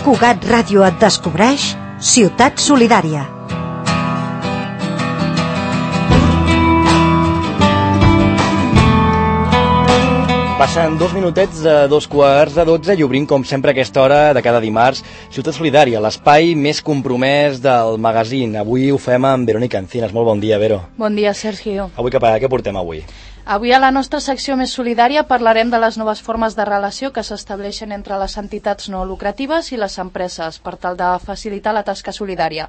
Cugat Ràdio et descobreix Ciutat Solidària. Passen 2 minutets de 2:45 i obrim, com sempre, a aquesta hora de cada dimarts, Ciutat Solidària, l'espai més compromès del magazín. Avui ho fem amb Verònica Encinas. Molt bon dia, Vero. Bon dia, Sergio. Avui què portem avui? Avui a la nostra secció més solidària parlarem de les noves formes de relació que s'estableixen entre les entitats no lucratives i les empreses per tal de facilitar la tasca solidària.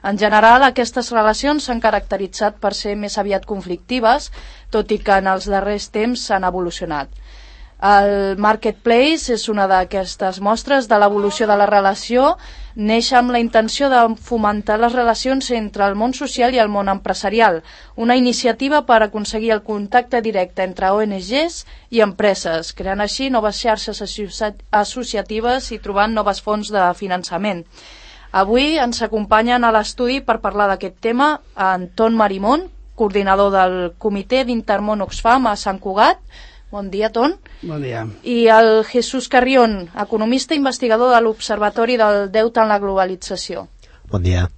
En general, aquestes relacions s'han caracteritzat per ser més aviat conflictives, tot i que en els darrers temps s'han evolucionat. El Marketplace és una d'aquestes mostres de l'evolució de la relació. Neix amb la intenció de fomentar les relacions entre el món social i el món empresarial, una iniciativa per aconseguir el contacte directe entre ONGs i empreses, creant així noves xarxes associatives i trobant noves fonts de finançament. Avui ens acompanyen a l'estudi per parlar d'aquest tema Anton Marimón, coordinador del Comitè d'Intermón Oxfam a Sant Cugat. Bon dia, Ton. Bon dia. I el Jesús Carrión, economista i investigador de l'Observatori del Deute en la Globalització. Bon dia.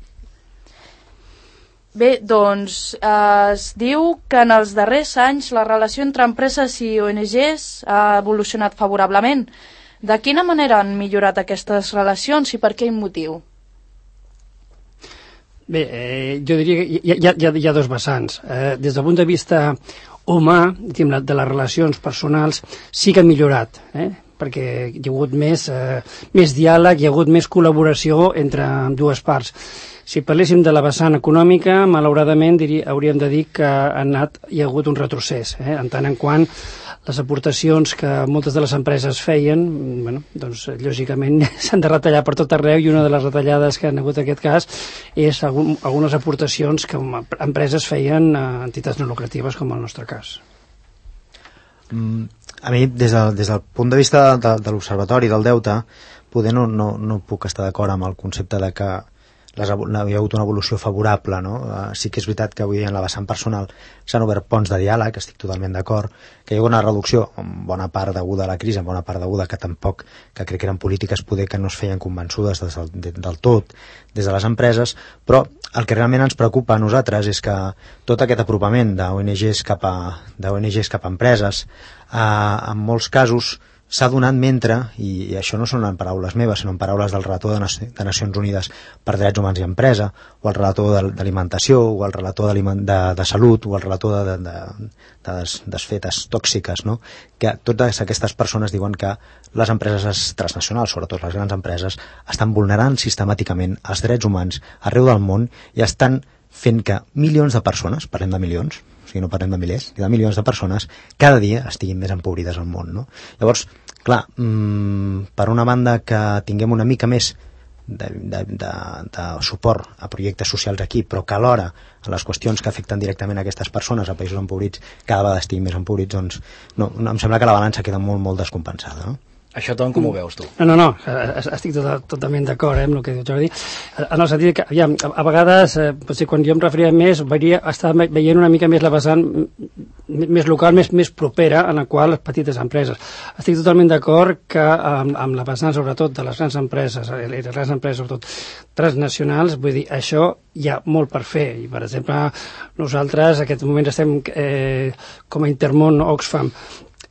Bé, doncs es diu que en els darrers anys la relació entre empreses i ONGs ha evolucionat favorablement. De quina manera han millorat aquestes relacions i per quin motiu? Bé, jo diria que hi ha dos vessants. Des del punt de vista humà, de les relacions personals, sí que ha millorat, perquè hi ha hagut més diàleg, hi ha hagut més col·laboració entre dues parts. Si parléssim de la vessant econòmica, malauradament hauríem de dir que hi ha hagut un retrocés, en tant en quant les aportacions que moltes de les empreses feien, doncs lògicament s'han de retallar per tot arreu, i una de les retallades que han hagut en aquest cas és algunes aportacions que empreses feien a entitats no lucratives, com el nostre cas. A mi, des del punt de vista de l'Observatori del Deute, poder no puc estar d'acord amb el concepte de que hi ha hagut una evolució favorable, no? Sí que és veritat que avui en la vessant personal s'han obert ponts de diàleg, estic totalment d'acord, que hi ha hagut una reducció, en bona part deguda a la crisi, en bona part deguda que crec que eren polítiques poder que no es feien convençudes del tot des de les empreses, però el que realment ens preocupa a nosaltres és que tot aquest apropament d'ONGs cap a empreses, en molts casos s'ha donat mentre, i això no són en paraules meves, sinó en paraules del relator de Nacions Unides per Drets Humans i Empresa, o el relator d'alimentació, o el relator de salut, o el relator de desfetes tòxiques, no? Que totes aquestes persones diuen que les empreses transnacionals, sobretot les grans empreses, estan vulnerant sistemàticament els drets humans arreu del món i estan fent que milions de persones, parlem de milions, o sigui, no parlem de milers, de milions de persones, cada dia estiguin més empobrides al món, no? Llavors, clar, per una banda que tinguem una mica més de suport a projectes socials aquí, però que alhora a les qüestions que afecten directament a aquestes persones a països empobrits cada vegada estiguin més empobrits, doncs no, em sembla que la balança queda molt, molt descompensada, no? Això, Tom, com ho veus tu? No, estic totalment d'acord amb el que diu Jordi, en el sentit que, a vegades, potser quan jo em referia més, estava veient una mica més la vessant més local, més propera, en la qual les petites empreses. Estic totalment d'acord que amb la vessant, sobretot, de les grans empreses, les grans empreses, sobretot, transnacionals, vull dir, això hi ha molt per fer. I, per exemple, nosaltres, en aquest moment, estem com a Intermón Oxfam,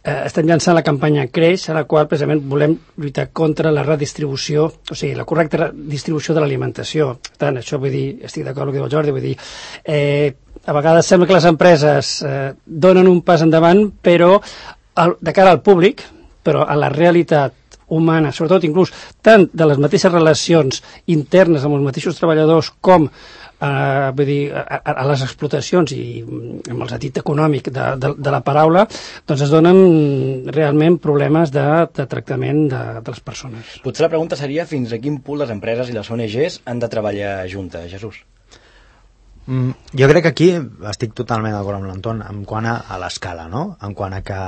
estem llançant la campanya Creix, a la qual precisament volem lluitar contra la redistribució, o sigui, la correcta distribució de l'alimentació. Per tant, això vull dir, estic d'acord amb el que diu el Jordi, vull dir, a vegades sembla que les empreses donen un pas endavant, però de cara al públic, però a la realitat humana, sobretot inclús tant de les mateixes relacions internes amb els mateixos treballadors com vull dir, a les explotacions i amb el sentit econòmic de la paraula, doncs es donen realment problemes de tractament de les persones. Potser la pregunta seria fins a quin punt les empreses i les ONGs han de treballar juntes, Jesús? Jo crec que aquí estic totalment d'acord amb l'Anton en quant a l'escala, no? En quant a que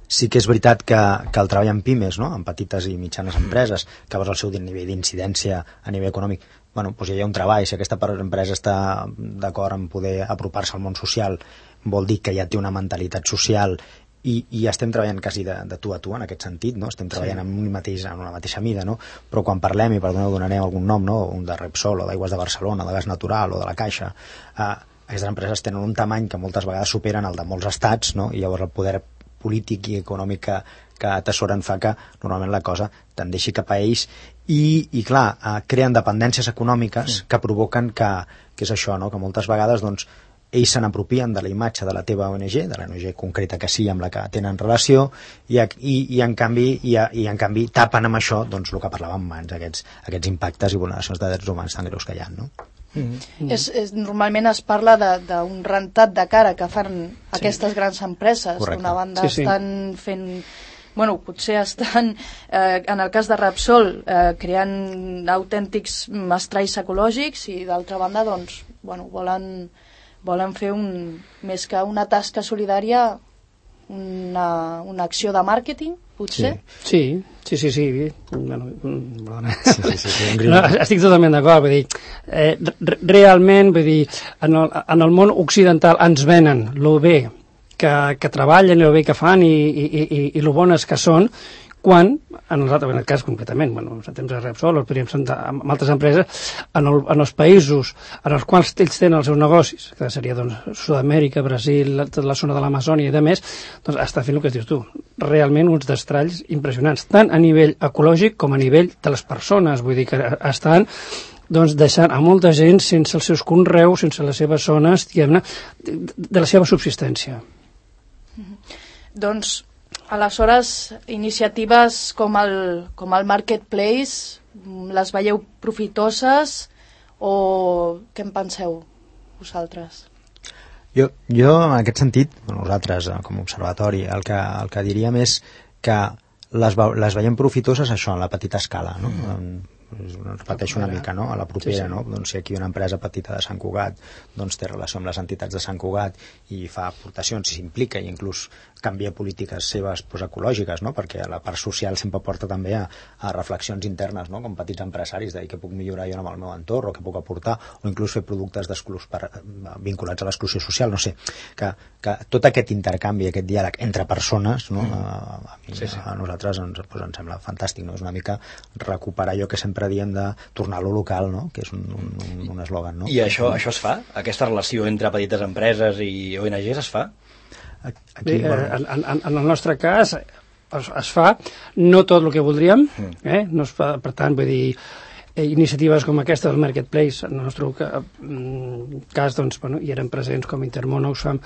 sí que és veritat que el treball en pimes, no? En petites i mitjanes empreses, que veus el seu nivell d'incidència a nivell econòmic, doncs hi ha un treball. Si aquesta empresa està d'acord en poder apropar-se al món social, vol dir que ja té una mentalitat social i estem treballant quasi de tu a tu en aquest sentit, no? Estem treballant en una mateixa mida, no? Però quan parlem, i perdoneu, donarem algun nom, no? Un de Repsol o d'Aigües de Barcelona, de Gas Natural o de la Caixa, aquestes empreses tenen un tamany que moltes vegades superen el de molts estats, no? I llavors el poder polític i econòmic que atessoren fa que normalment la cosa tendeixi cap a ells i clar, creen dependències econòmiques que provoquen que és això, no? Que moltes vegades doncs, ells se n'apropien de la imatge de la teva ONG, de la ONG concreta que sí, amb la que tenen relació, i en canvi tapen amb això doncs, el que parlàvem abans, aquests impactes i vulneracions de drets humans tan greus que hi ha, no? Normalment es parla d'un rentat de cara que fan aquestes grans empreses. D'una banda estan fent... Bueno, potser estan, en el cas de Repsol, creant autèntics estralls ecològics i d'altra banda, doncs, bueno, volen fer més que una tasca solidària, una acció de màrqueting, potser? Sí. Bueno, perdona. No, estic totalment d'acord, vull dir, realment, vull dir, en el món occidental ens venen lo bé que treballen, el bé que fan i lo bones que són, quan, en el cas concretament, bueno, en temps de Repsol, o podríem sentar amb altres empreses, en els països en els quals ells tenen els seus negocis, que seria doncs, Sud-amèrica, Brasil, tota la zona de l'Amazònia i de més, doncs està fent el que dius tu, realment uns destralls impressionants, tant a nivell ecològic com a nivell de les persones, vull dir que estan doncs, deixant a molta gent sense els seus conreus, sense les seves zones, diguem-ne, de la seva subsistència. Doncs, aleshores, iniciatives com el Marketplace, les veieu profitoses o què en penseu vosaltres? Jo en aquest sentit, nosaltres com a observatori, el que diríem és que les veiem profitoses això, en la petita escala, no? Repeteixo una mica, no? A la propera, no? Doncs si aquí una empresa petita de Sant Cugat doncs té relació amb les entitats de Sant Cugat i fa aportacions, i s'implica i inclús canvia polítiques seves ecològiques, no? Perquè la part social sempre porta també a reflexions internes, no? Com petits empresaris, de què puc millorar jo amb el meu entorn, o què puc aportar, o inclús fer productes vinculats a l'exclusió social, no sé, que tot aquest intercanvi, aquest diàleg entre persones, no? A nosaltres ens sembla fantàstic, no? És una mica recuperar allò que sempre diem de tornar a lo local, no? Que és un eslògan, no? I això es fa? Aquesta relació entre petites empreses i ONGs es fa? Aquí, en el nostre cas es fa, no tot el que voldríem, no es fa, per tant, vull dir, iniciatives com aquesta del Marketplace, en el nostre cas, doncs, bueno, hi eren presents com Intermón, Oxfam,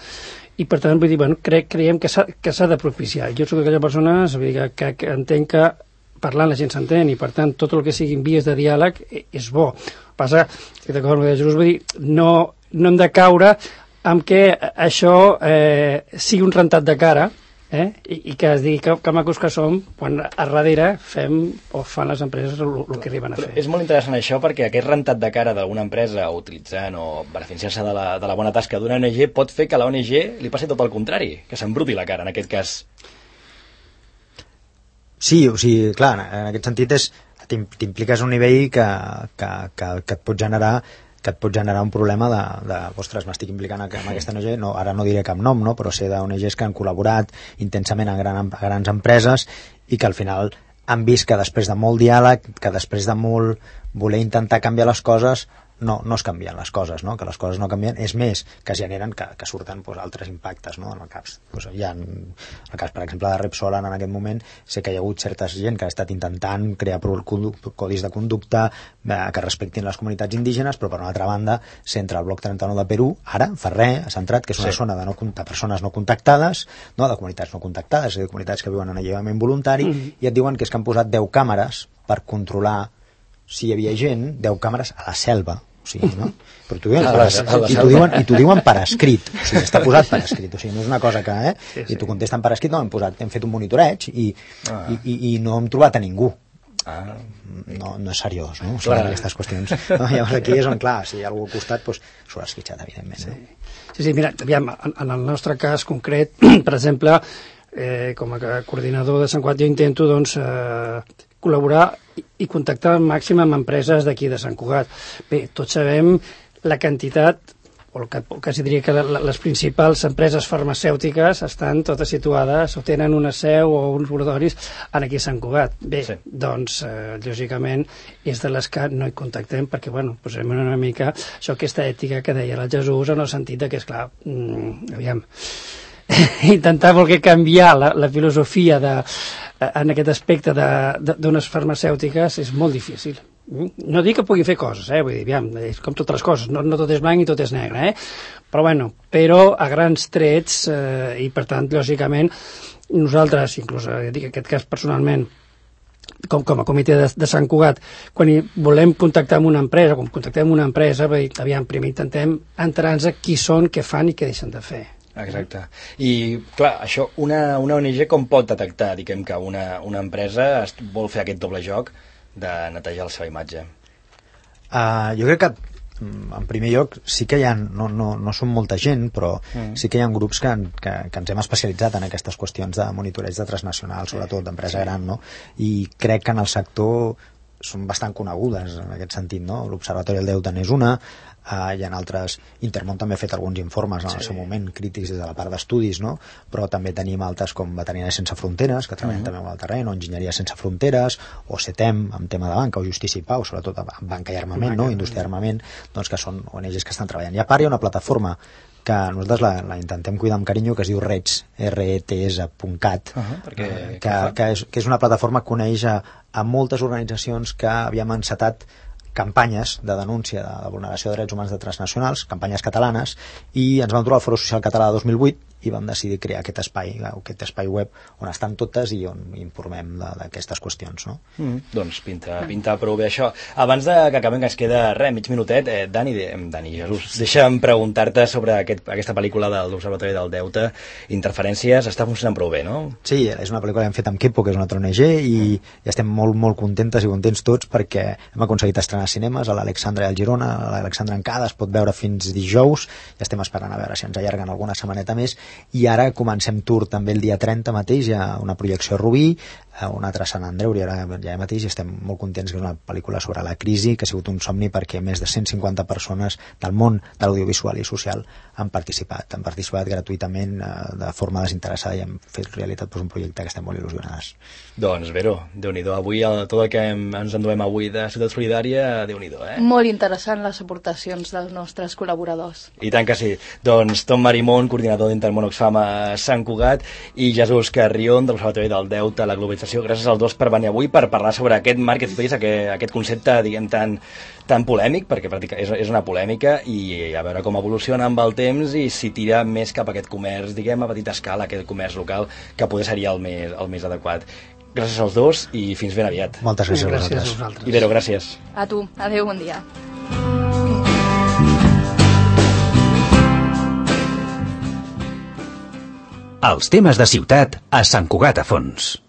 i per tant, vull dir, bueno, creiem que s'ha de propiciar. Jo soc d'aquella persona que entenc que parlant la gent s'entén i per tant tot el que siguin vies de diàleg és bo. Passa que d'acord amb el que Jesús vull dir, no hem de caure amb què això sigui un rentat de cara i que es digui que macos que som quan a darrere fem o fan les empreses el que arriben a fer. És molt interessant això perquè aquest rentat de cara d'alguna empresa utilitzant o beneficiant-se de la bona tasca d'una ONG pot fer que a l'ONG li passi tot el contrari, que s'embruti la cara en aquest cas. Sí, o sigui, clar, en aquest sentit t'impliques un nivell que et pot generar un problema de ostres, m'estic implicant en aquesta ONG, no, ara no diré cap nom, no, però sé d'ONGs que han col·laborat intensament a grans empreses i que al final han vist que després de molt diàleg, que després de molt voler intentar canviar les coses, no es canvien les coses, no? Que les coses no canvien, és més, que generen que surten altres impactes, no? En el cas, hi ha, en el cas, per exemple, de Repsol, en aquest moment, sé que hi ha hagut certa gent que ha estat intentant crear codis de conducta que respectin les comunitats indígenes, però per una altra banda, centra el bloc 39 de Perú, ara, fa res, ha centrat, que és una zona de persones no contactades, no? De comunitats no contactades, és a dir, comunitats que viuen en alliberament voluntari, i et diuen que és que han posat 10 càmeres per controlar si hi havia gent, 10 càmeres a la selva, o sigui, no? Però t'ho diuen per escrit, o sigui, està posat per escrit, o sigui, no és una cosa que, i t'ho contesten per escrit, no, hem fet un monitoreig i no hem trobat a ningú. No és seriós, no? O sigui, aquestes qüestions. No? Llavors aquí és on, clar, si hi ha algú al costat, doncs s'ho ha esquitxat, evidentment. Sí, mira, aviam, en el nostre cas concret, per exemple, com a coordinador de Sant Cugat, jo intento, doncs, col·laborar i contactar al màxim amb empreses d'aquí de Sant Cugat. Bé, tots sabem la quantitat o quasi diria que les principals empreses farmacèutiques estan totes situades o tenen una seu o uns laboratoris aquí a Sant Cugat. Bé, sí. Doncs, lògicament, és de les que no hi contactem perquè, bueno, posem una mica això, aquesta ètica que deia el Jesús, en el sentit que, esclar, aviam, intentar voler canviar la filosofia en aquest aspecte d'unes farmacèutiques és molt difícil. No dic que pugui fer coses, vull dir, aviam, és com totes les coses, no tot és blanc i tot és negre, però bueno, però a grans trets, i per tant, lògicament, nosaltres, inclús, dic en aquest cas personalment, com a comitè de Sant Cugat, quan volem contactar amb una empresa, quan contactem una empresa, aviam, primer intentem entrar-nos a qui són, què fan i què deixen de fer. Exacte. I, clar, això, una ONG com pot detectar, diguem, que una empresa vol fer aquest doble joc de netejar la seva imatge? Jo crec que en primer lloc sí que hi ha, no són molta gent, però sí que hi ha grups que ens hem especialitzat en aquestes qüestions de monitoreig de transnacional, sobretot d'empresa gran, no? I crec que en el sector són bastant conegudes en aquest sentit, no? L'Observatori del Deute n'és una, hi ha altres, Intermón també ha fet alguns informes en el seu moment crítics des de la part d'estudis, no? Però també tenim altres com Veterinaris Sense Fronteres, que treballen també amb el terreny, o Enginyeria Sense Fronteres, o CETEM, amb tema de banca, o Justícia i Pau, sobretot amb banca i armament, no? Indústria i armament, doncs que són ONGs que estan treballant. I a part hi ha una plataforma que nosaltres la intentem cuidar amb carinyo, que es diu RETS, rets.cat, que és una plataforma que coneix a moltes organitzacions que havíem encetat campanyes de denúncia de vulneració de drets humans de transnacionals, campanyes catalanes, i ens vam trobar al Foro Social Català de 2008 i vam decidir crear aquest espai web on estan totes i on informem d'aquestes qüestions, no? Doncs pinta prou bé això. Abans que acabem, que ens queda mig minutet, Dani, Jesús, deixa'm preguntar-te sobre aquesta pel·lícula de l'Observatori del Deute, Interferències, està funcionant prou bé, no? Sí, és una pel·lícula que hem fet amb Kepo, que és una altra ONG, i estem molt, molt contentes i contents tots perquè hem aconseguit estrenar cinemes a l'Alexandra i al Girona, a l'Alexandra Encada es pot veure fins dijous, i estem esperant a veure si ens allarguen alguna setmaneta més, i ara comencem tour també el dia 30 mateix, hi ha una projecció a Rubí, una altra a Sant Andreu, i ara ja mateix estem molt contents, que és una pel·lícula sobre la crisi, que ha sigut un somni perquè més de 150 persones del món de l'audiovisual i social han participat gratuïtament, de forma desinteressada, i hem fet realitat un projecte que estem molt il·lusionades. Doncs, Vero, Déu-n'hi-do, avui tot el que ens enduem avui de Ciutat Solidària, Déu-n'hi-do, Molt interessant les aportacions dels nostres col·laboradors. I tant que sí. Doncs Tom Marimón, coordinador d'Intermón Oxfam a Sant Cugat, i Jesús Carrión, de l'Observatori del Deute, la globalització. Gràcies als dos per venir avui per parlar sobre aquest marketplace, aquest concepte, diguem, tan polèmic, perquè és una polèmica, i a veure com evoluciona amb el temps i si tira més cap a aquest comerç, diguem, a petita escala, aquest comerç local, que poder seria el més adequat. Gràcies als dos i fins ben aviat. Moltes gràcies a vosaltres. I Vero, gràcies. A tu. Adéu, bon dia. Els temes de ciutat a Sant Cugat a fons.